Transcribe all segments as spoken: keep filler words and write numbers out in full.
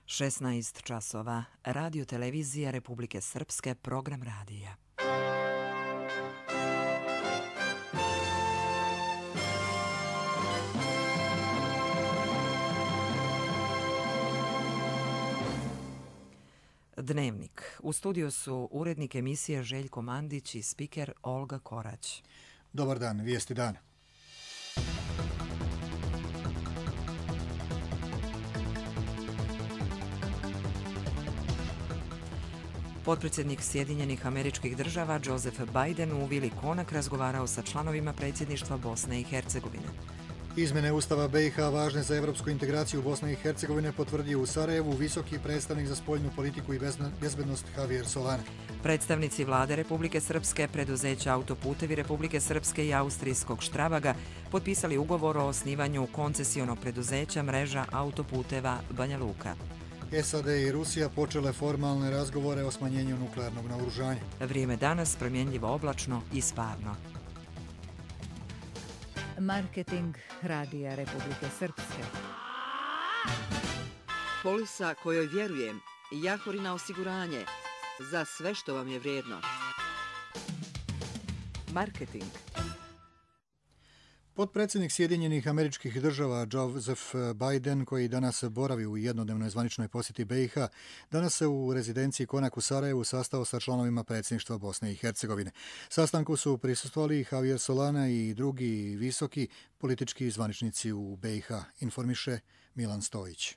šesnaest časova. Radio televizija Republike Srpske, program radija. Dnevnik. U studiju su urednik emisije Željko Mandić i spiker Olga Korać. Dobar dan, vijesti dana. Potpredsjednik Sjedinjenih Američkih Država Joseph Biden u vili Konak razgovarao sa članovima predsjedništva Bosne i Hercegovine. Izmjene Ustava B i H važne za evropsku integraciju Bosne i Hercegovine potvrdio u Sarajevu visoki predstavnik za spoljnu politiku i bezbednost Javier Solana. Predstavnici vlade Republike Srpske, preduzeća Autoputevi Republike Srpske i austrijskog Štrabaga potpisali ugovor o osnivanju koncesionog preduzeća mreža autoputeva Banja Luka. S A D i Rusija počele formalne razgovore o smanjenju nuklearnog naoružanja. Vrijeme danas promjenljivo oblačno i sparno. Marketing Radija Republike Srpske. Polisa kojoj vjerujem, Jahorina osiguranje, za sve što vam je vrijedno. Marketing. Potpredsjednik Sjedinjenih Američkih Država Joseph Biden, koji danas boravi u jednodnevnoj zvaničnoj posjeti B i H, danas se u rezidenciji Konak u Sarajevu sastao sa članovima predsjedništva Bosne i Hercegovine. Sastanku su prisustvovali Javier Solana i drugi visoki politički zvaničnici u B i H, informiše Milan Stojić.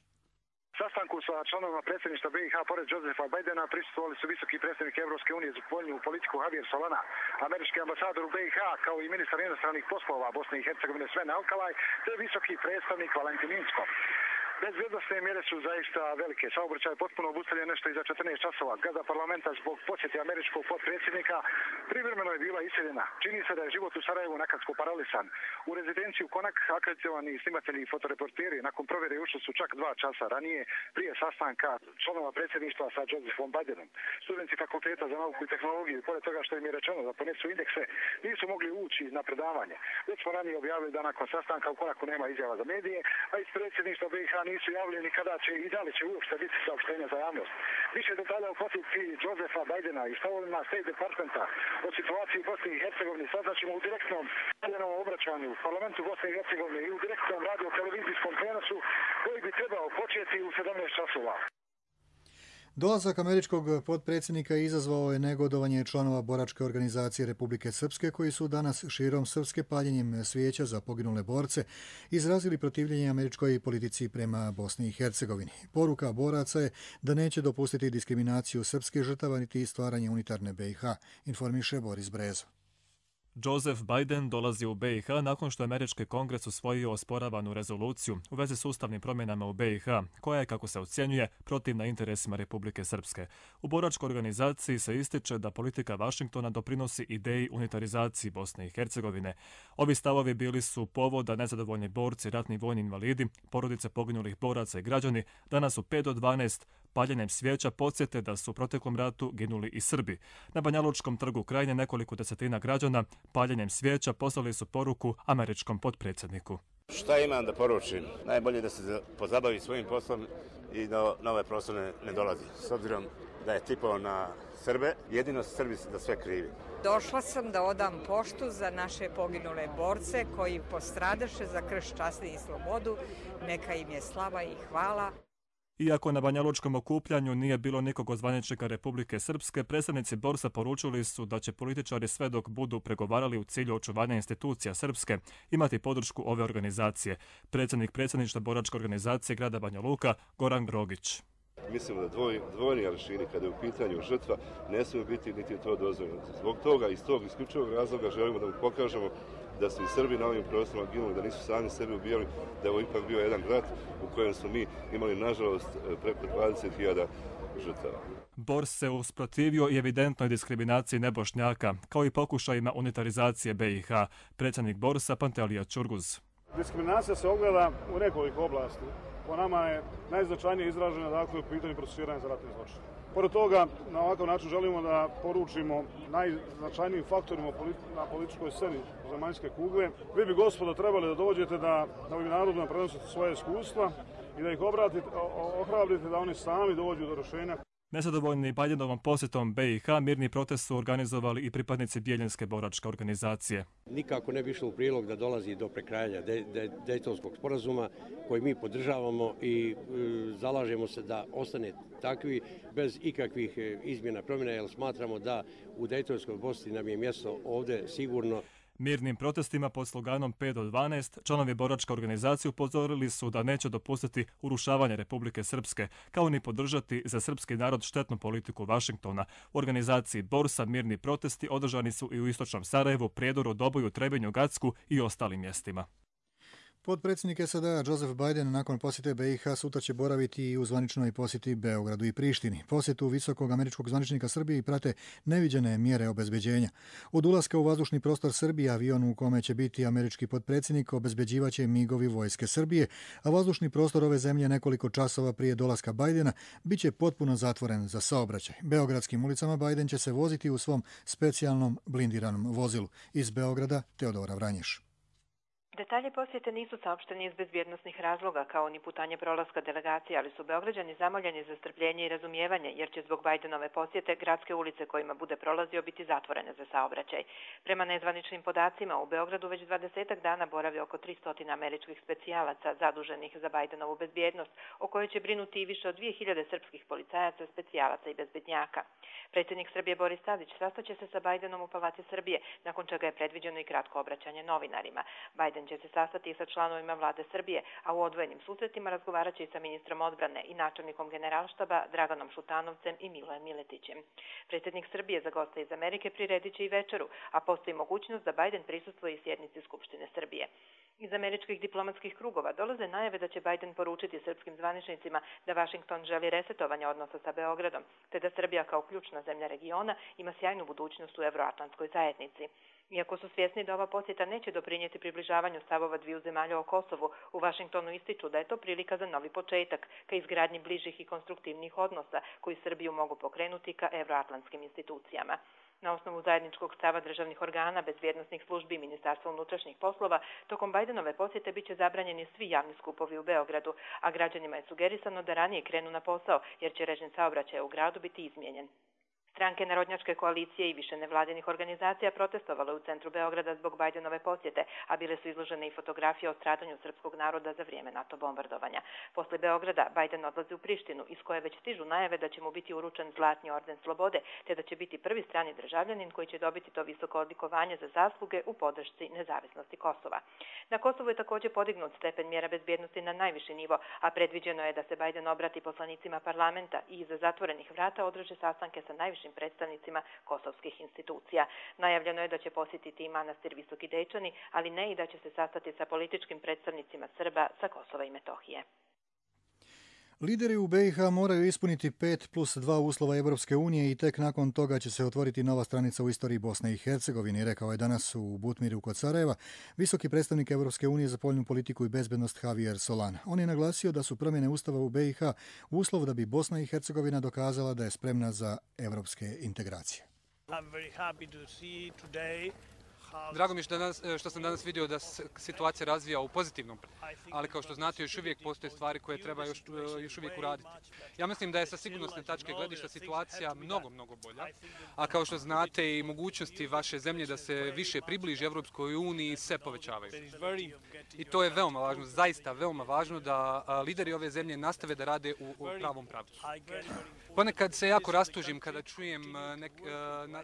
Sastanku sa članovima predsjedništva B i H pored Josefa Bidena prisustvovali su visoki predstavnik Evropske unije za spoljnu politiku Javier Solana, američki ambasador u B i H, kao i ministar inostranih poslova Bosne i Hercegovine Sven Alkalaj, te visoki predstavnik Valentin Inzko. Bezbjednostne mjere su zaista velike. Saobraćaj je potpuno obustavljen nešto iza četrnaest časova. Zgrada parlamenta zbog posjete američkog potpredsjednika privremeno je bila iseljena. Čini se da je život u Sarajevu nakratko paralisan. U rezidenciju Konak akreditovani snimatelji i fotoreporteri nakon provjere ušli su čak dva časa ranije prije sastanka članova predsjedništva sa Josephom Bidenom. Studenti fakulteta za nauku i tehnologiju, pored toga što im je rečeno da ponesu indekse, nisu mogli ući na predavanje. Već smo ranije objavili da nakon sastanka u Konaku nema izjava za medije, a iz predsjedništva B i H nisu javljeni kada će i da li će uopšte biti saopštenja za javnost. Više detalja o posjeti Josefa Bidena i stavovima State Departmenta o situaciji u Bosni i Hercegovini saznaćemo u direktnom valjenom obraćanju u parlamentu Bosne i Hercegovine i u direktnom radio-televizijskom prenosu koji bi trebao početi u sedamnaest časova. Dolazak američkog potpredsjednika izazvao je negodovanje članova boračke organizacije Republike Srpske, koji su danas širom Srpske paljenjem svijeća za poginule borce izrazili protivljenje američkoj politici prema Bosni i Hercegovini. Poruka boraca je da neće dopustiti diskriminaciju srpske žrtava niti stvaranje unitarne B i H, informiše Boris Brezo. Joseph Biden dolazi u B i H nakon što je američki kongres usvojio osporavanu rezoluciju u vezi s ustavnim promjenama u B i H, koja je, kako se ocjenjuje, protivna interesima Republike Srpske. U boračkoj organizaciji se ističe da politika Vašingtona doprinosi ideji unitarizaciji Bosne i Hercegovine. Ovi stavovi bili su povod da nezadovoljni borci, ratni vojni invalidi, porodice poginulih boraca i građani danas u pet do dvanaest paljenjem svijeća podsjete da su u proteklom ratu ginuli i Srbi. Na Banjalučkom trgu Krajine nekoliko desetina građana paljenjem svijeća poslali su poruku američkom potpredsjedniku. Šta imam da poručim? Najbolje da se pozabavi svojim poslom i da na ove prostore ne dolazi. S obzirom da je tipao na Srbe, jedino Srbi da sve krivi. Došla sam da odam poštu za naše poginule borce koji postradaše za krš, časti i slobodu. Neka im je slava i hvala. Iako na banjalučkom okupljanju nije bilo nikog od zvaničnika Republike Srpske, predstavnici borsa poručili su da će političari sve dok budu pregovarali u cilju očuvanja institucija Srpske imati podršku ove organizacije. Predsjednik predsjedništva boračke organizacije grada Banja Luka, Goran Grogić. Mislim da dvoj, dvojni aršini kada je u pitanju žrtva ne smije biti niti to dozvoljeno. Zbog toga, iz tog isključivog razloga želimo da mu pokažemo da su i Srbi na ovim prostorima ginuli, da nisu sami sebi ubijali, da je ovo ipak bio jedan rat u kojem smo mi imali, nažalost, preko dvadeset hiljada žrtava. Bors se usprotivio i evidentnoj diskriminaciji nebošnjaka, kao i pokušajima unitarizacije B i H. Predsjednik Borsa Pantelija Čurguz. Diskriminacija se ogleda u nekoliko oblasti. Po nama je najznačajnije izražena, dakle, u pitanju procesuiranja za ratne zločine. Pored toga, na ovakav način želimo da poručimo najznačajnijim faktorima na političkoj sceni zemaljske kugle. Vi bi, gospodo, trebali da dođete da ovim narodima prenosite svoje iskustva i da ih obratite, ohrabrite da oni sami dođu do rješenja. Nezadovoljni Bidenovom posjetom B i H, mirni protest su organizovali i pripadnici Bijeljinske boračke organizacije. Nikako ne bi išlo u prilog da dolazi do prekrajanja Dejtonskog sporazuma koji mi podržavamo i zalažemo se da ostane takvi bez ikakvih izmjena promjena, jer smatramo da u Dejtonskoj Bosni nam je mjesto ovdje sigurno. Mirnim protestima pod sloganom pet do dvanaest članovi boračke organizacije upozorili su da neće dopustiti urušavanje Republike Srpske, kao ni podržati za srpski narod štetnu politiku Vašingtona. U organizaciji Borsa mirni protesti održani su i u istočnom Sarajevu, Prijedoru, Doboju, Trebinju, Gacku i ostalim mjestima. Potpredsjednik S A D-a Joseph Biden nakon posjete B i H sutra će boraviti i u zvaničnoj posjeti Beogradu i Prištini. Posjetu visokog američkog zvaničnika Srbiji prate neviđene mjere obezbeđenja. Od ulaska u vazdušni prostor Srbije avion u kome će biti američki potpredsjednik obezbeđivaće migovi vojske Srbije, a vazdušni prostor ove zemlje nekoliko časova prije dolaska Bidena bit će potpuno zatvoren za saobraćaj. Beogradskim ulicama Biden će se voziti u svom specijalnom blindiranom vozilu. Iz Beograda Teodora Vranješ. Detalje posjete nisu saopšteni iz bezbjednosnih razloga, kao ni putanje prolaska delegacije, ali su Beograđani zamoljeni za strpljenje i razumijevanje, jer će zbog Bidenove posjete gradske ulice kojima bude prolazio biti zatvorene za saobraćaj. Prema nezvaničnim podacima, u Beogradu već dvadesetak dana boravi oko tristo američkih specijalaca zaduženih za Bidenovu bezbjednost, o kojoj će brinuti i više od dvije hiljade srpskih policajaca, specijalaca i bezbednjaka. Predsjednik Srbije Boris Tadić sastaće se sa Bidenom u Palati Srbije, nakon čega je predviđeno i kratko obraćanje novinarima. Biden će se sastati sa članovima vlade Srbije, a u odvojenim susretima razgovarat će i sa ministrom odbrane i načelnikom generalštaba Draganom Šutanovcem i Milojem Miletićem. Predsjednik Srbije za goste iz Amerike priredit će i večeru, a postoji mogućnost da Biden prisustvuje i sjednici Skupštine Srbije. Iz američkih diplomatskih krugova dolaze najave da će Biden poručiti srpskim zvaničnicima da Vašington želi resetovanje odnosa sa Beogradom, te da Srbija kao ključna zemlja regiona ima sjajnu budućnost u evroatlantskoj zajednici. Iako su svjesni da ova posjeta neće doprinijeti približavanju stavova dviju zemalja o Kosovu, u Vašingtonu ističu da je to prilika za novi početak, ka izgradnji bližih i konstruktivnih odnosa koji Srbiju mogu pokrenuti ka evroatlantskim institucijama. Na osnovu zajedničkog stava državnih organa, bezbjednosnih službi i Ministarstva unutrašnjih poslova, tokom Bidenove posjete biće zabranjeni svi javni skupovi u Beogradu, a građanima je sugerisano da ranije krenu na posao, jer će režim saobraćaja u gradu biti izmijenjen. Stranke Narodnjačke koalicije i više nevladinih organizacija protestovale u centru Beograda zbog Bidenove posjete, a bile su izložene i fotografije o stradanju srpskog naroda za vrijeme NATO bombardovanja. Posle Beograda Biden odlazi u Prištinu, iz koje već stižu najave da će mu biti uručen Zlatni orden slobode, te da će biti prvi strani državljanin koji će dobiti to visoko odlikovanje za zasluge u podršci nezavisnosti Kosova. Na Kosovu je također podignut stepen mjera bezbjednosti na najviši nivo, a predviđeno je da se Biden obrati poslanicima parlamenta i iza zatvorenih vrata održe sastanke sa najvišim predstavnicima kosovskih institucija. Najavljeno je da će posjetiti i manastir Visoki Dečani, ali ne i da će se sastati sa političkim predstavnicima Srba sa Kosova i Metohije. Lideri u B i H moraju ispuniti pet plus dva uslova Evropske unije i tek nakon toga će se otvoriti nova stranica u istoriji Bosne i Hercegovine, rekao je danas u Butmiru kod Sarajeva visoki predstavnik Evropske unije za spoljnu politiku i bezbednost Javier Solana. On je naglasio da su promjene ustava u B i H uslov da bi Bosna i Hercegovina dokazala da je spremna za evropske integracije. Drago mi je što, danas, što sam danas vidio da se situacija razvija u pozitivnom, ali kao što znate još uvijek postoje stvari koje treba još, još uvijek uraditi. Ja mislim da je sa sigurnosne tačke gledišta situacija mnogo, mnogo bolja, a kao što znate i mogućnosti vaše zemlje da se više približi Evropskoj uniji se povećavaju. I to je veoma važno, zaista veoma važno da lideri ove zemlje nastave da rade u, u pravom pravcu. Ponekad se jako rastužim kada čujem nek, na,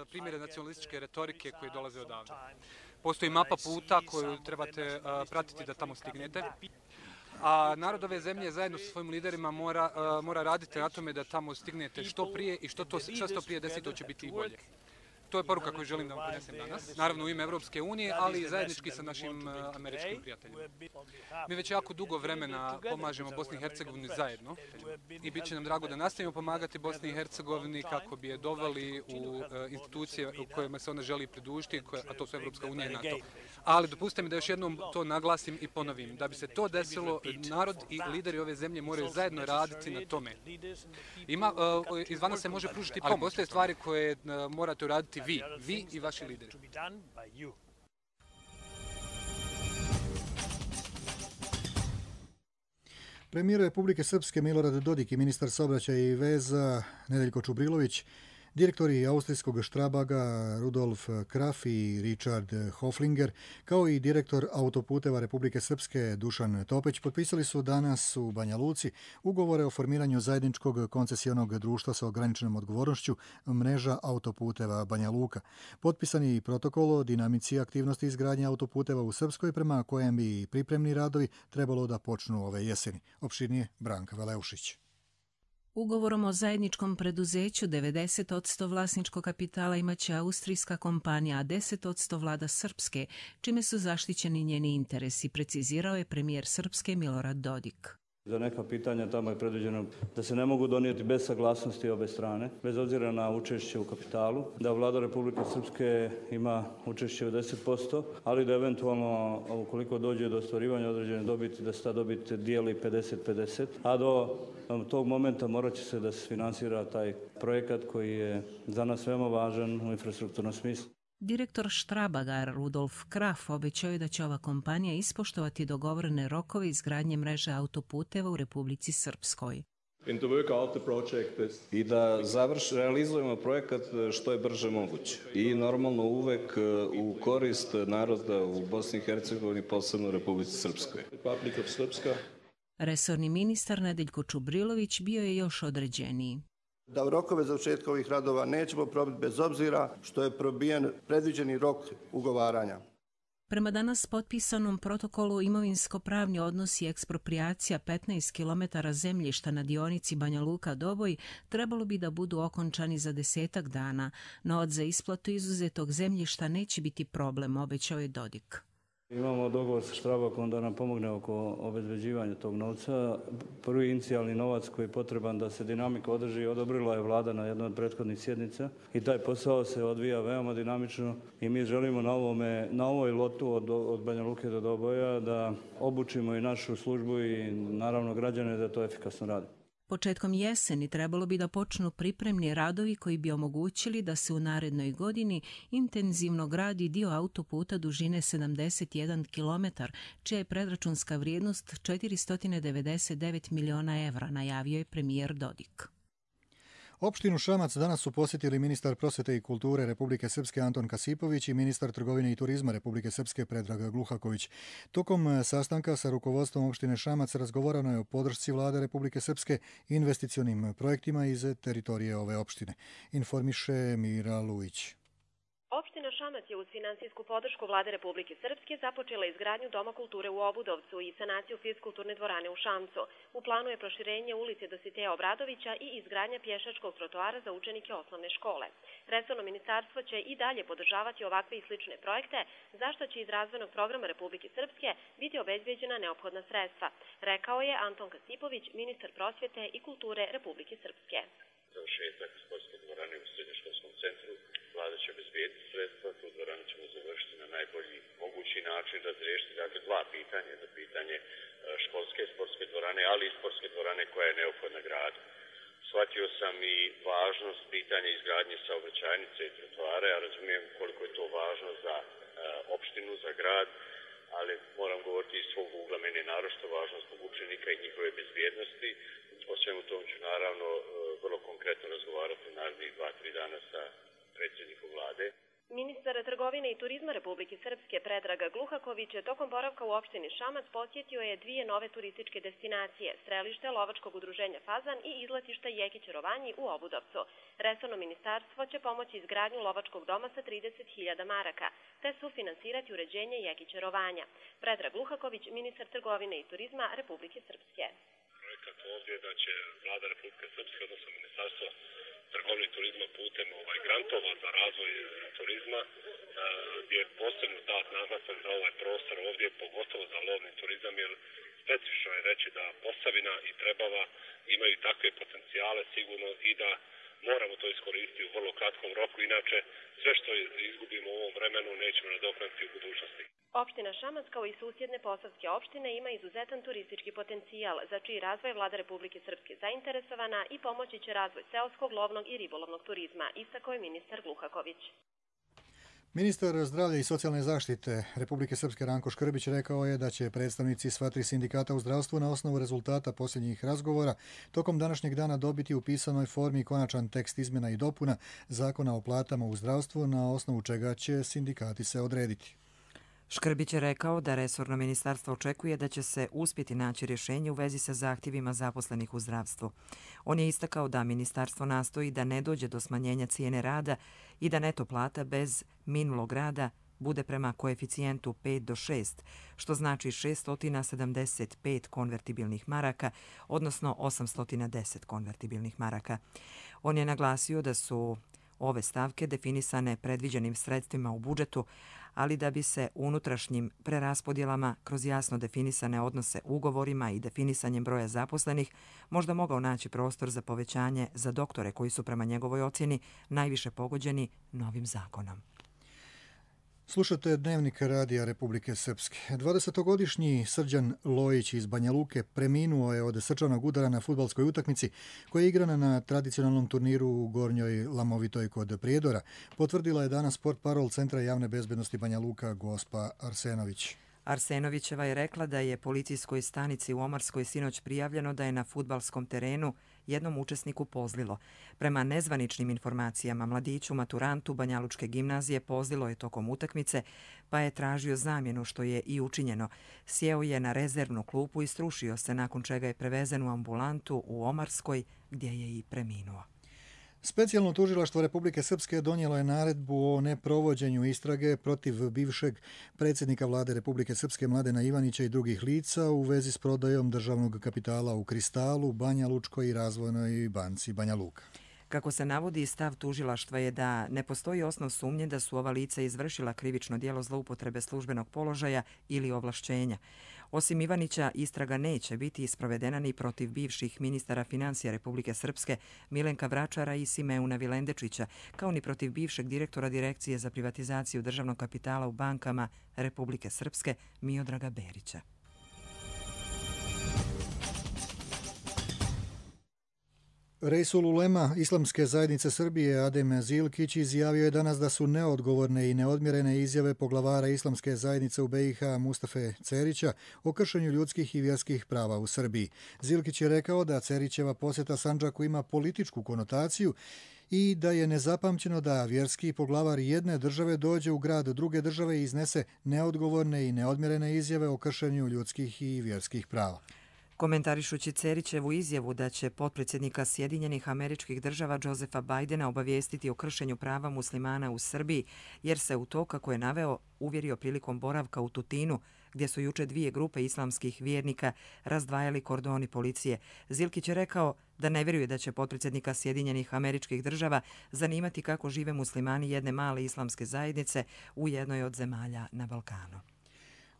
primjere nacionalističke retorike koje dolaze odavde. Postoji mapa puta koju trebate pratiti da tamo stignete. A narod ove zemlje zajedno sa svojim liderima mora, mora raditi na tome da tamo stignete što prije i što, to, što, što prije desi, to će biti i bolje. To je poruka koju želim da vam ponesem danas, naravno u ime Evropske unije, ali i zajednički sa našim američkim prijateljima. Mi već jako dugo vremena pomažemo Bosni i Hercegovini zajedno i bit će nam drago da nastavimo pomagati Bosni i Hercegovini kako bi je doveli u institucije u kojima se ona želi pridružiti, a to su Evropska unija i NATO. Ali dopustite mi da još jednom to naglasim i ponovim. Da bi se to desilo, narod i lideri ove zemlje moraju zajedno raditi na tome. Ima, izvana se može pružiti pomoć, ali postoje stvari koje morate uraditi vi, vi i vaši lideri. Premijer Republike Srpske Milorad Dodik i ministar saobraćaja i veza Nedeljko Čubrilović, direktori austrijskog Štrabaga Rudolf Kraf i Richard Hoflinger, kao i direktor autoputeva Republike Srpske Dušan Topeć potpisali su danas u Banja Luci ugovore o formiranju zajedničkog koncesionog društva sa ograničenom odgovornošću mreža autoputeva Banja Luka. Potpisani i protokol o dinamici aktivnosti izgradnje autoputeva u Srpskoj, prema kojem bi pripremni radovi trebalo da počnu ove jeseni. Opširnije Branka Veleušić. Ugovorom o zajedničkom preduzeću devedeset posto vlasničkog kapitala imaće austrijska kompanija, a deset posto vlada Srpske, čime su zaštićeni njeni interesi, precizirao je premijer Srpske Milorad Dodik. Za neka pitanja tamo je predviđeno da se ne mogu donijeti bez saglasnosti obe strane, bez obzira na učešće u kapitalu, da vlada Republike Srpske ima učešće od deset posto, ali da eventualno, ukoliko dođe do ostvarivanja određene dobiti, da se ta dobit dijeli pedeset pedeset, a do tog momenta morat će se da se finansira taj projekat koji je za nas veoma važan u infrastrukturnom smislu. Direktor Štrabaga Rudolf Kraf obećao je da će ova kompanija ispoštovati dogovorene rokove izgradnje mreže autoputeva u Republici Srpskoj. I da završ, realizujemo projekat što je brže moguće. I normalno uvek u korist naroda u Bosni i Hercegovini, posebno u Republici Srpskoj. Resorni ministar Nedeljko Čubrilović bio je još određeniji. Da u rokove završetka ovih radova nećemo probiti bez obzira što je probijen predviđeni rok ugovaranja. Prema danas potpisanom protokolu imovinsko-pravni odnos i ekspropriacija petnaest kilometara zemljišta na dionici Banja Luka-Doboj trebalo bi da budu okončani za desetak dana, no od za isplatu izuzetog zemljišta neće biti problem, obećao je Dodik. Imamo dogovor sa Štrabakom da nam pomogne oko obezbeđivanja tog novca. Prvi inicijalni novac koji je potreban da se dinamika održi odobrila je vlada na jednoj od prethodnih sjednica i taj posao se odvija veoma dinamično i mi želimo na, ovome, na ovoj lotu od, od Banja Luke do Doboja da obučimo i našu službu i naravno građane da to efikasno rade. Početkom jeseni trebalo bi da počnu pripremni radovi koji bi omogućili da se u narednoj godini intenzivno gradi dio autoputa dužine sedamdeset jedan kilometar, čija je predračunska vrijednost četiristo devedeset devet miliona evra, najavio je premijer Dodik. Opštinu Šamac danas su posjetili ministar prosvete i kulture Republike Srpske Anton Kasipović i ministar trgovine i turizma Republike Srpske Predrag Gluhaković. Tokom sastanka sa rukovodstvom opštine Šamac razgovarano je o podršci vlade Republike Srpske i investicionim projektima iz teritorije ove opštine. Informiše Mira Luić. Opština Šamac je uz finansijsku podršku vlade Republike Srpske započela izgradnju Doma kulture u Obudovcu i sanaciju fiskulturne dvorane u Šamcu. U planu je proširenje ulice Dositeja Obradovića i izgradnja pješačkog trotoara za učenike osnovne škole. Resorno ministarstvo će i dalje podržavati ovakve i slične projekte, zašto će iz razvojnog programa Republike Srpske biti obezbeđena neophodna sredstva, rekao je Anton Kasipović, ministar prosvjete i kulture Republike Srpske. Završetak sportske dvorane u srednjoškolskom centru vlada će obezbediti sredstva, tu dvoranu ćemo završiti na najbolji mogući način, razriješiti dakle dva pitanja, jedno pitanje školske sportske dvorane, ali i sportske dvorane koja je neophodna gradu. Shvatio sam i važnost pitanja izgradnje saobraćajnice i trotoare, a razumijem koliko je to važno za uh, opštinu, za grad, ali moram govoriti iz svog ugla, meni je naročito važno zbog učenika i njihove bezbjednosti. O svemu tom ću naravno uh, vrlo konkretno razgovarati narednih dva, tri dana sa predsjednikom vlade. Ministar trgovine i turizma Republike Srpske Predrag Gluhaković tokom boravka u opštini Šamac posjetio je dvije nove turističke destinacije, strelište lovačkog udruženja Fazan i izletišta Jekić Rovanji u Obudovcu. Resorno ministarstvo će pomoći izgradnju lovačkog doma sa trideset hiljada maraka, te sufinansirati uređenje Jekić Rovanja. Predrag Gluhaković, ministar trgovine i turizma Republike Srpske. Projekat ovdje da će vlada Republike Srpske, odnosno ministarstvo trgovine i turizma putem ovaj grantova za razvoj turizma, gdje je posebno dat naglasak za ovaj prostor ovdje, pogotovo za lovni turizam, jer specifično je reći da Posavina i Trebava imaju takve potencijale sigurno i da moramo to iskoristiti u vrlo kratkom roku, inače sve što izgubimo u ovom vremenu nećemo nadoknaditi u budućnosti. Opština Šamac kao i susjedne posavske opštine ima izuzetan turistički potencijal, za čiji razvoj vlada Republike Srpske zainteresovana i pomoći će razvoj seoskog, lovnog i ribolovnog turizma, istakao je ministar Gluhaković. Ministar zdravlja i socijalne zaštite Republike Srpske Ranko Škrbić rekao je da će predstavnici sva tri sindikata u zdravstvu na osnovu rezultata posljednjih razgovora tokom današnjeg dana dobiti u pisanoj formi konačan tekst izmjena i dopuna Zakona o platama u zdravstvu, na osnovu čega će sindikati se odrediti. Škrbić je rekao da resorno ministarstvo očekuje da će se uspjeti naći rješenje u vezi sa zahtjevima zaposlenih u zdravstvu. On je istakao da ministarstvo nastoji da ne dođe do smanjenja cijene rada i da neto plata bez minulog rada bude prema koeficijentu pet do šest, što znači šeststo sedamdeset pet konvertibilnih maraka, odnosno osamsto deset konvertibilnih maraka. On je naglasio da su ove stavke definisane predviđenim sredstvima u budžetu, ali da bi se unutrašnjim preraspodjelama kroz jasno definisane odnose ugovorima i definisanjem broja zaposlenih možda mogao naći prostor za povećanje za doktore koji su prema njegovoj ocjeni najviše pogođeni novim zakonom. Slušate Dnevnik Radija Republike Srpske. dvadesetogodišnji Srđan Lojić iz Banja Luke preminuo je od srčanog udara na fudbalskoj utakmici koja je igrana na tradicionalnom turniru u Gornjoj Lamovitoj kod Prijedora, potvrdila je danas portparol Centra javne bezbednosti Banja Luka Gospa Arsenović. Arsenovićeva je rekla da je policijskoj stanici u Omarskoj sinoć prijavljeno da je na fudbalskom terenu jednom učesniku pozlilo. Prema nezvaničnim informacijama, mladiću maturantu Banjalučke gimnazije pozlilo je tokom utakmice, pa je tražio zamjenu, što je i učinjeno. Sjeo je na rezervnu klupu i strušio se, nakon čega je prevezen u ambulantu u Omarskoj, gdje je i preminuo. Specijalno tužilaštvo Republike Srpske donijelo je naredbu o neprovođenju istrage protiv bivšeg predsjednika vlade Republike Srpske Mladena Ivanića i drugih lica u vezi s prodajom državnog kapitala u Kristalu, Banja Lučkoj i Razvojnoj banci Banja Luka. Kako se navodi, stav tužilaštva je da ne postoji osnov sumnje da su ova lica izvršila krivično djelo zloupotrebe službenog položaja ili ovlašćenja. Osim Ivanića, istraga neće biti isprovedena ni protiv bivših ministara financija Republike Srpske Milenka Vračara i Simeuna Vilendečića, kao ni protiv bivšeg direktora Direkcije za privatizaciju državnog kapitala u bankama Republike Srpske Miodraga Berića. Reisul ulema Islamske zajednice Srbije Adem Zilkić izjavio je danas da su neodgovorne i neodmjerene izjave poglavara Islamske zajednice u be i ha Mustafe Cerića o kršenju ljudskih i vjerskih prava u Srbiji. Zilkić je rekao da Cerićeva posjeta Sandžaku ima političku konotaciju i da je nezapamćeno da vjerski poglavar jedne države dođe u grad druge države i iznese neodgovorne i neodmjerene izjave o kršenju ljudskih i vjerskih prava. Komentarišući Cerićevu izjavu da će potpredsjednika Sjedinjenih Američkih Država Josefa Bajdena obavijestiti o kršenju prava muslimana u Srbiji, jer se u to, kako je naveo, uvjerio prilikom boravka u Tutinu, gdje su juče dvije grupe islamskih vjernika razdvajali kordoni policije. Zilkić je rekao da ne vjeruje da će potpredsjednika Sjedinjenih Američkih Država zanimati kako žive muslimani jedne male islamske zajednice u jednoj od zemalja na Balkanu.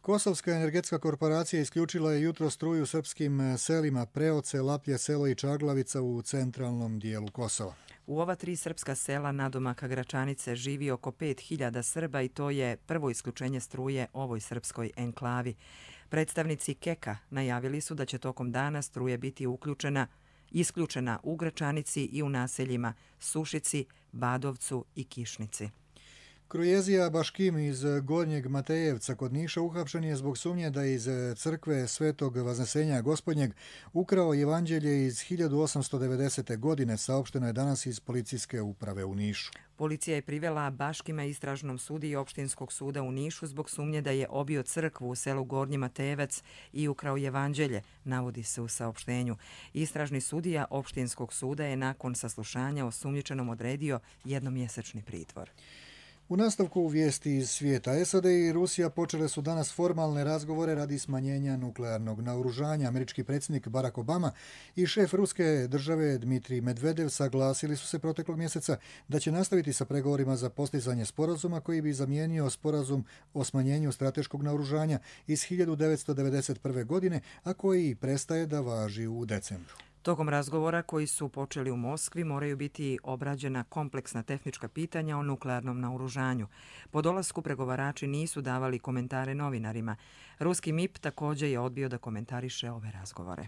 Kosovska energetska korporacija isključila je jutro struju srpskim selima Preoce, Laplje selo i Čaglavica u centralnom dijelu Kosova. U ova tri srpska sela nadomaka Gračanice živi oko pet hiljada Srba i to je prvo isključenje struje ovoj srpskoj enklavi. Predstavnici Keka najavili su da će tokom dana struje biti uključena, isključena u Gračanici i u naseljima Sušici, Badovcu i Kišnici. Krujezija Baškim iz Gornjeg Matejevca kod Niša uhapšen je zbog sumnje da iz crkve Svetog Vaznesenja Gospodnjeg ukrao evanđelje iz hiljadu osamsto devedesete. godine, saopšteno je danas iz policijske uprave u Nišu. Policija je privela Baškima istražnom sudiji opštinskog suda u Nišu zbog sumnje da je obio crkvu u selu Gornji Matejevac i ukrao evanđelje, navodi se u saopštenju. Istražni sudija opštinskog suda je nakon saslušanja osumnjičenom odredio jednomjesečni pritvor. U nastavku vijesti iz svijeta, es a de i Rusija počele su danas formalne razgovore radi smanjenja nuklearnog naoružanja. Američki predsjednik Barack Obama i šef ruske države Dmitrij Medvedev saglasili su se proteklog mjeseca da će nastaviti sa pregovorima za postizanje sporazuma koji bi zamijenio sporazum o smanjenju strateškog naoružanja iz hiljadu devetsto devedeset prve. godine, a koji prestaje da važi u decembru. Tokom razgovora koji su počeli u Moskvi moraju biti obrađena kompleksna tehnička pitanja o nuklearnom naoružanju. Po dolasku pregovarači nisu davali komentare novinarima. Ruski em i pe također je odbio da komentariše ove razgovore.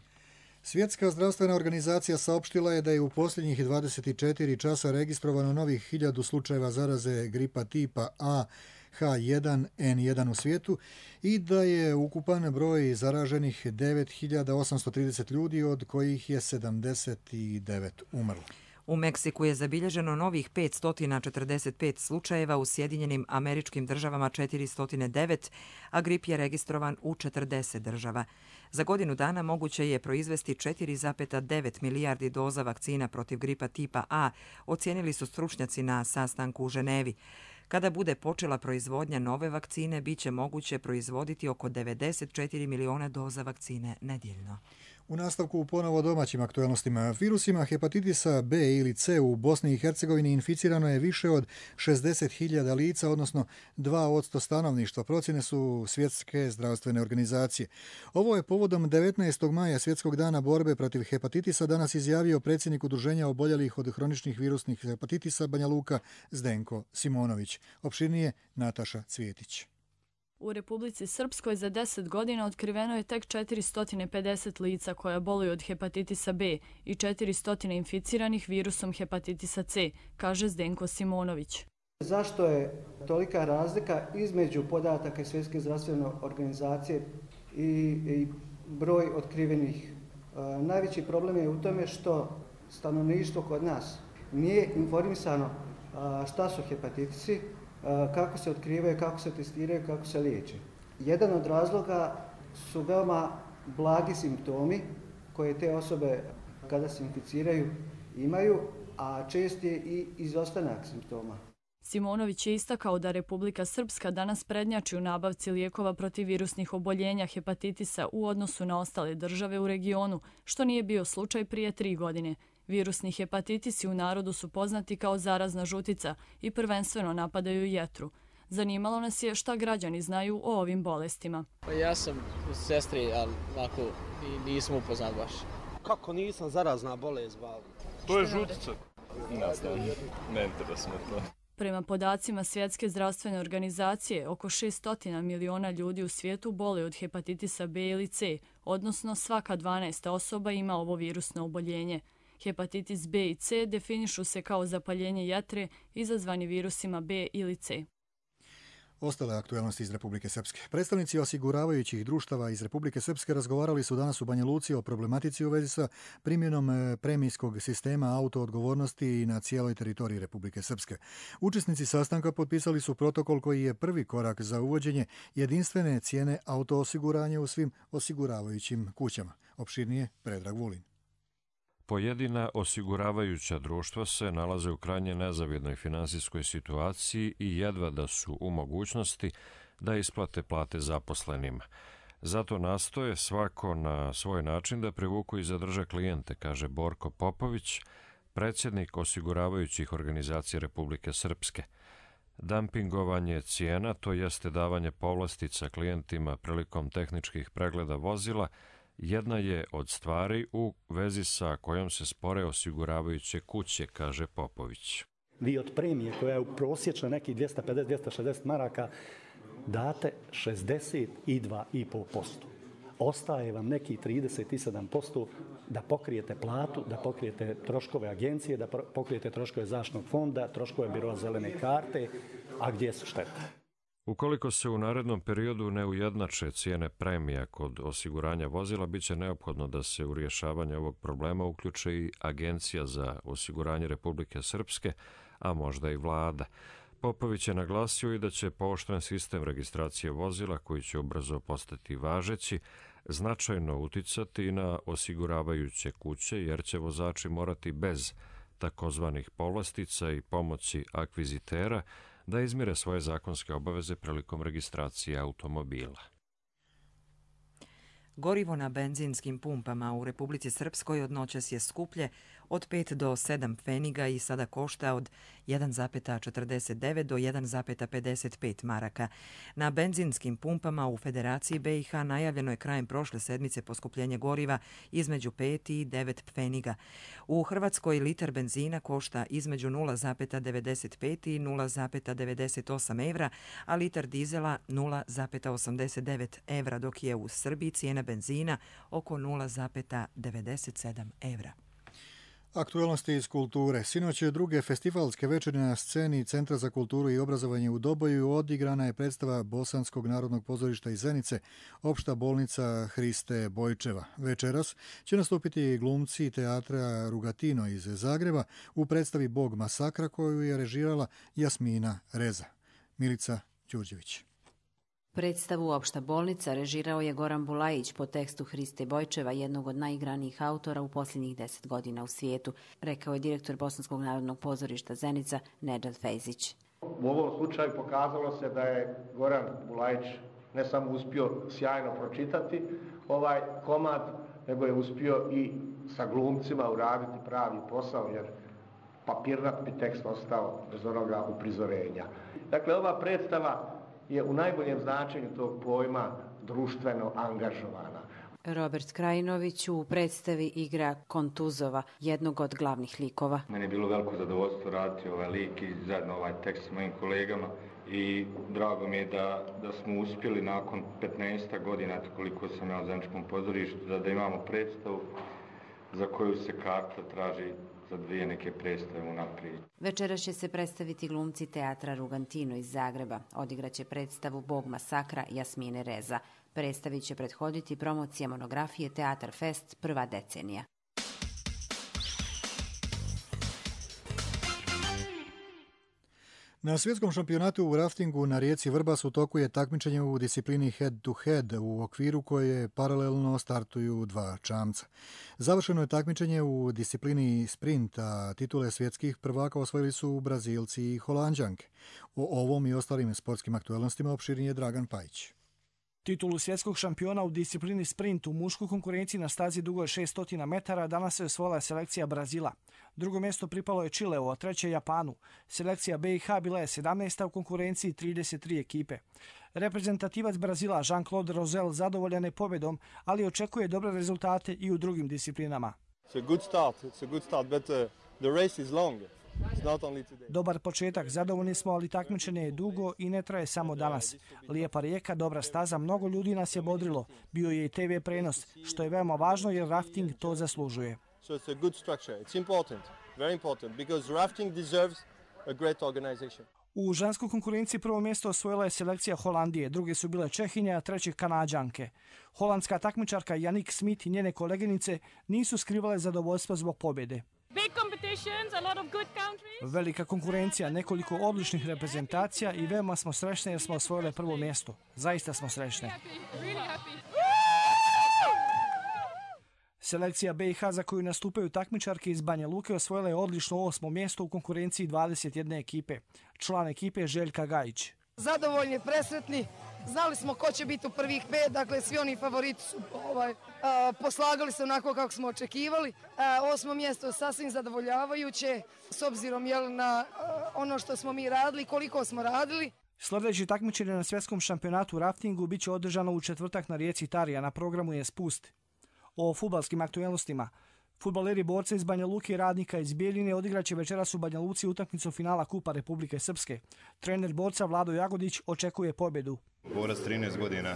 Svjetska zdravstvena organizacija saopštila je da je u posljednjih dvadeset četiri časa registrovano novih hiljadu slučajeva zaraze gripa tipa A H jedan N jedan u svijetu i da je ukupan broj zaraženih devet hiljada osamsto trideset ljudi, od kojih je sedamdeset devet umrlo. U Meksiku je zabilježeno novih petsto četrdeset pet slučajeva, u Sjedinjenim Američkim Državama četiristo devet, a grip je registrovan u četrdeset država. Za godinu dana moguće je proizvesti četiri zarez devet milijardi doza vakcina protiv gripa tipa A, ocijenili su stručnjaci na sastanku u Ženevi. Kada bude počela proizvodnja nove vakcine, bit će moguće proizvoditi oko devedeset četiri miliona doza vakcine nedjeljno. U nastavku ponovo domaćim aktualnostima. Virusima hepatitisa B ili C u Bosni i Hercegovini inficirano je više od šezdeset hiljada lica, odnosno dva posto stanovništva, procjene su Svjetske zdravstvene organizacije. Ovo je povodom devetnaestog maja Svjetskog dana borbe protiv hepatitisa danas izjavio predsjednik Udruženja oboljelih od hroničnih virusnih hepatitisa Banja Luka Zdenko Simonović. Opširnije Nataša Cvjetić. U Republici Srpskoj za deset godina otkriveno je tek četiristo pedeset lica koja boluju od hepatitisa B i četiristo inficiranih virusom hepatitisa C, kaže Zdenko Simonović. Zašto je tolika razlika između podataka Svjetske zdravstvene organizacije i, i broj otkrivenih? E, najveći problem je u tome što stanovništvo kod nas nije informisano a, šta su hepatitisi, kako se otkrivaju, kako se testiraju, kako se liječe. Jedan od razloga su veoma blagi simptomi koje te osobe kada se inficiraju imaju, a čest je i izostanak simptoma. Simonović je istakao da Republika Srpska danas prednjači u nabavci lijekova protiv virusnih oboljenja hepatitisa u odnosu na ostale države u regionu, što nije bio slučaj prije tri godine. Virusni hepatitisi u narodu su poznati kao zarazna žutica i prvenstveno napadaju jetru. Zanimalo nas je šta građani znaju o ovim bolestima. Pa ja sam u sestri, ali ovako nisam upoznat baš. Kako nisam zarazna bolest? To je žutica. Ne znam, ne interesuje to. Prema podacima Svjetske zdravstvene organizacije, oko šesto miliona ljudi u svijetu boli od hepatitisa B ili C, odnosno svaka dvanaesta osoba ima ovo virusno oboljenje. Hepatitis B i C definišu se kao zapaljenje jetre izazvani virusima B ili C. Ostale aktualnosti iz Republike Srpske. Predstavnici osiguravajućih društava iz Republike Srpske razgovarali su danas u Banja Luci o problematici u vezi sa primjenom premijskog sistema autoodgovornosti na cijeloj teritoriji Republike Srpske. Učesnici sastanka potpisali su protokol koji je prvi korak za uvođenje jedinstvene cijene autoosiguranja u svim osiguravajućim kućama. Opširnije Predrag Vulin. Pojedina osiguravajuća društva se nalaze u krajnje nezavidnoj finansijskoj situaciji i jedva da su u mogućnosti da isplate plate zaposlenima. Zato nastoje svako na svoj način da privuku i zadrže klijente, kaže Borko Popović, predsjednik osiguravajućih organizacija Republike Srpske. Dumpingovanje cijena, to jeste davanje povlastica klijentima prilikom tehničkih pregleda vozila, jedna je od stvari u vezi sa kojom se spore osiguravajuće kuće, kaže Popović. Vi od premije koja je u prosječno nekih dvjesto pedeset do dvjesto šezdeset maraka date šezdeset dva zarez pet posto. Ostaje vam neki trideset sedam posto da pokrijete platu, da pokrijete troškove agencije, da pokrijete troškove zaštitnog fonda, troškove biroa zelene karte, a gdje su štete? Ukoliko se u narednom periodu ne ujednače cijene premija kod osiguranja vozila, bit će neophodno da se u rješavanje ovog problema uključe i Agencija za osiguranje Republike Srpske, a možda i vlada. Popović je naglasio i da će pooštren sistem registracije vozila, koji će ubrzo postati važeći, značajno uticati na osiguravajuće kuće, jer će vozači morati bez takozvanih povlastica i pomoći akvizitera da izmire svoje zakonske obaveze prilikom registracije automobila. Gorivo na benzinskim pumpama u Republici Srpskoj od noćas je skuplje od pet do sedam pfeniga i sada košta od jedan zarez četrdeset devet do jedan zarez pedeset pet maraka. Na benzinskim pumpama u Federaciji B i H najavljeno je krajem prošle sedmice poskupljenje goriva između pet i devet pfeniga. U Hrvatskoj litar benzina košta između nula zarez devedeset pet i nula zarez devedeset osam evra, a litar dizela nula zarez osamdeset devet evra, dok je u Srbiji cijena benzina oko nula zarez devedeset sedam evra. Aktualnosti iz kulture. Sinoć je druge festivalske večeri na sceni Centra za kulturu i obrazovanje u Doboju odigrana je predstava Bosanskog narodnog pozorišta iz Zenice, Opšta bolnica Hriste Bojčeva. Večeras će nastupiti glumci teatra Rugatino iz Zagreba u predstavi Bog masakra koju je režirala Jasmina Reza. Milica Đurđević. Predstavu Opšta bolnica režirao je Goran Bulajić po tekstu Hriste Bojčeva, jednog od najigranijih autora u posljednjih deset godina u svijetu, rekao je direktor Bosanskog narodnog pozorišta Zenica Nedžad Fejzić. U ovom slučaju pokazalo se da je Goran Bulajić ne samo uspio sjajno pročitati ovaj komad, nego je uspio i sa glumcima uraditi pravi posao, jer papirnat bi tekst ostao bez onoga uprizorenja. Dakle, ova predstava je u najboljem značenju tog pojma društveno angažovana. Robert Krajinović u predstavi igra Kontuzova, jednog od glavnih likova. Meni je bilo veliko zadovoljstvo raditi ovaj lik i zajedno ovaj tekst s mojim kolegama i drago mi je da, da smo uspjeli nakon petnaest godina, koliko sam ja u Zeničkom pozorištu, da, da imamo predstavu za koju se karta traži za dvije neke predstave unaprijed. Večeras će se predstaviti glumci teatra Rugantino iz Zagreba. Odigraće predstavu Bog masakra Jasmine Reza. Predstavi će prethoditi promocija monografije Teatar Fest prva decenija. Na svjetskom šampionatu u raftingu na rijeci Vrbas u toku je takmičenje u disciplini head to head, u okviru koje paralelno startuju dva čamca. Završeno je takmičenje u disciplini sprint, a titule svjetskih prvaka osvojili su Brazilci i Holanđanke. O ovom i ostalim sportskim aktualnostima opširnije je Dragan Pajić. Titulu svjetskog šampiona u disciplini sprint u muškoj konkurenciji na stazi dugoj šesnaest metara danas je osvojila selekcija Brazila. Drugo mjesto pripalo je Čileu, a treće Japanu. Selekcija B i H bila je sedamnaesta u konkurenciji trideset tri ekipe. Reprezentativac Brazila Jean-Claude Rosel zadovoljan je pobjedom, ali očekuje dobre rezultate i u drugim disciplinama. It's a good start. It's a good start, but uh, the race is long. Dobar početak, zadovoljni smo, ali takmičenje je dugo i ne traje samo danas. Lijepa rijeka, dobra staza, mnogo ljudi nas je bodrilo. Bio je i te ve prenos, što je veoma važno jer rafting to zaslužuje. So it's a good structure. It's important, very important, because rafting deserves a great organization. U ženskoj konkurenciji prvo mjesto osvojila je selekcija Holandije, druge su bile Čehinje, a treće Kanađanke. Holandska takmičarka Janik Smith i njene koleginice nisu skrivale zadovoljstvo zbog pobjede. Velika konkurencija, nekoliko odličnih reprezentacija i veoma smo srećni jer smo osvojili prvo mjesto. Zaista smo srećni. Selekcija B i H za koju nastupaju takmičarke iz Banja Luke osvojila je odlično osmo mjesto u konkurenciji dvadeset jedne ekipe. Član ekipe je Željka Gajić. Zadovoljni, presretni. Znali smo ko će biti u prvih pet, dakle svi oni favoriti su ovaj, a, poslagali se onako kako smo očekivali. A, osmo mjesto je sasvim zadovoljavajuće s obzirom jel, na a, ono što smo mi radili, koliko smo radili. Sljedeći takmičenje na svjetskom šampionatu u raftingu bit će održano u četvrtak na rijeci Tarija, na programu je spust. O fudbalskim aktualnostima. Fudbaleri borca iz Banja Luke i Radnika iz Bijeljine odigraće večeras u Banja Luci utakmicu finala Kupa Republike Srpske. Trener borca Vlado Jagodić očekuje pobjedu. Borac trinaest godina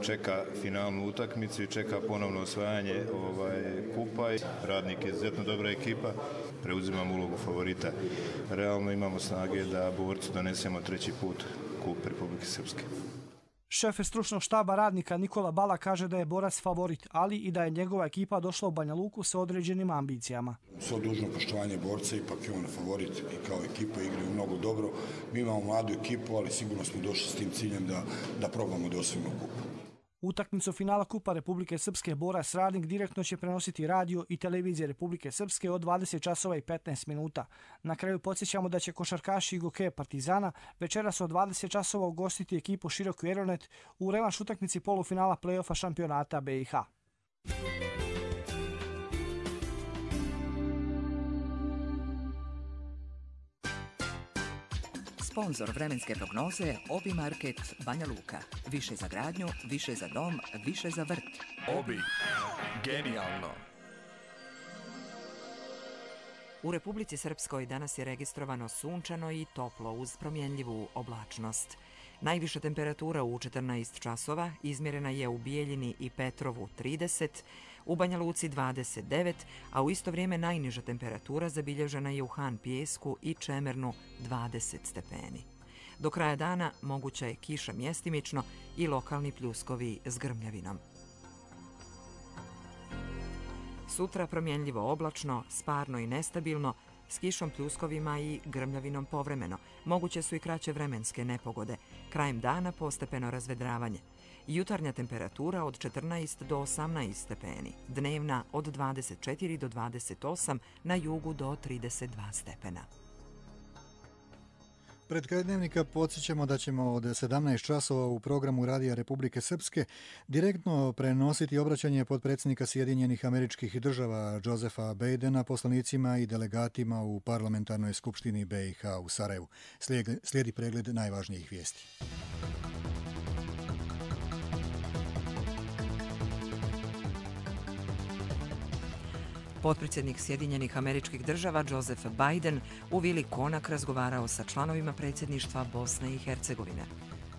čeka finalnu utakmicu i čeka ponovno osvajanje ovaj, kupa. Radnik je izuzetno dobra ekipa, preuzimamo ulogu favorita. Realno imamo snage da borcu donesemo treći put Kup Republike Srpske. Šef stručnog štaba Radnika Nikola Bala kaže da je borac favorit, ali i da je njegova ekipa došla u Banja Luku sa određenim ambicijama. Svo dužno poštovanje borca, ipak je on favorit i kao ekipa igraju mnogo dobro. Mi imamo mladu ekipu, ali sigurno smo došli s tim ciljem da, da probamo da osvojimo kupu. Utakmicu finala Kupa Republike Srpske borac Radnik direktno će prenositi radio i televizije Republike Srpske od dvadeset časova i petnaest minuta. Na kraju podsjećamo da će košarkaši i gokeje Partizana večeras od dvadeset časova ugostiti ekipu Široki Eronet u revanš utakmici polufinala play-offa šampionata B i H. Sponzor vremenske prognoze Obi Market Banja Luka. Više za gradnju, više za dom, više za vrt. Obi. Genijalno. U Republici Srpskoj danas je registrovano sunčano i toplo uz promjenljivu oblačnost. Najviša temperatura u četrnaest časova izmjerena je u Bijeljini i Petrovu trideset, u Banja Luci dvadeset devet, a u isto vrijeme najniža temperatura zabilježena je u Han Pijesku i Čemernu dvadeset stepeni. Do kraja dana moguća je kiša mjestimično i lokalni pljuskovi s grmljavinom. Sutra promjenljivo oblačno, sparno i nestabilno, s kišom, pljuskovima i grmljavinom povremeno. Moguće su i kraće vremenske nepogode. Krajem dana postepeno razvedravanje. Jutarnja temperatura od četrnaest do osamnaest stepeni. Dnevna od dvadeset četiri do dvadeset osam, na jugu do trideset dva stepena. Pred kraj dnevnika podsjećamo da ćemo od sedamnaest časova u programu Radija Republike Srpske direktno prenositi obraćanje potpredsjednika Sjedinjenih Američkih Država Josefa Bidena poslanicima i delegatima u Parlamentarnoj skupštini B i H u Sarajevu. Slijedi pregled najvažnijih vijesti. Potpredsjednik Sjedinjenih Američkih Država Joseph Biden u Vili Konak razgovarao sa članovima predsjedništva Bosne i Hercegovine.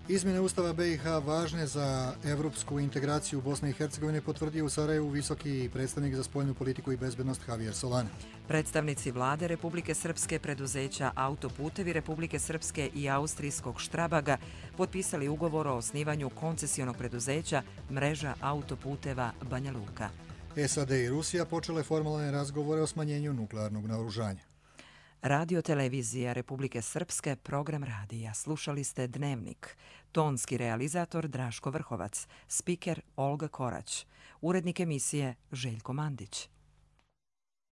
Izmjene Ustava B i H važne za evropsku integraciju Bosne i Hercegovine potvrdio u Sarajevu visoki predstavnik za spoljnu politiku i bezbednost Javier Solana. Predstavnici vlade Republike Srpske, preduzeća Autoputevi Republike Srpske i austrijskog Štrabaga potpisali ugovor o osnivanju koncesionog preduzeća Mreža autoputeva Banja Luka. S A D i Rusija počele formalne razgovore o smanjenju nuklearnog naoružanja. Radio televizija Republike Srpske, program radija. Slušali ste Dnevnik. Tonski realizator Draško Vrhovac, spiker Olga Korać, urednik emisije Željko Mandić.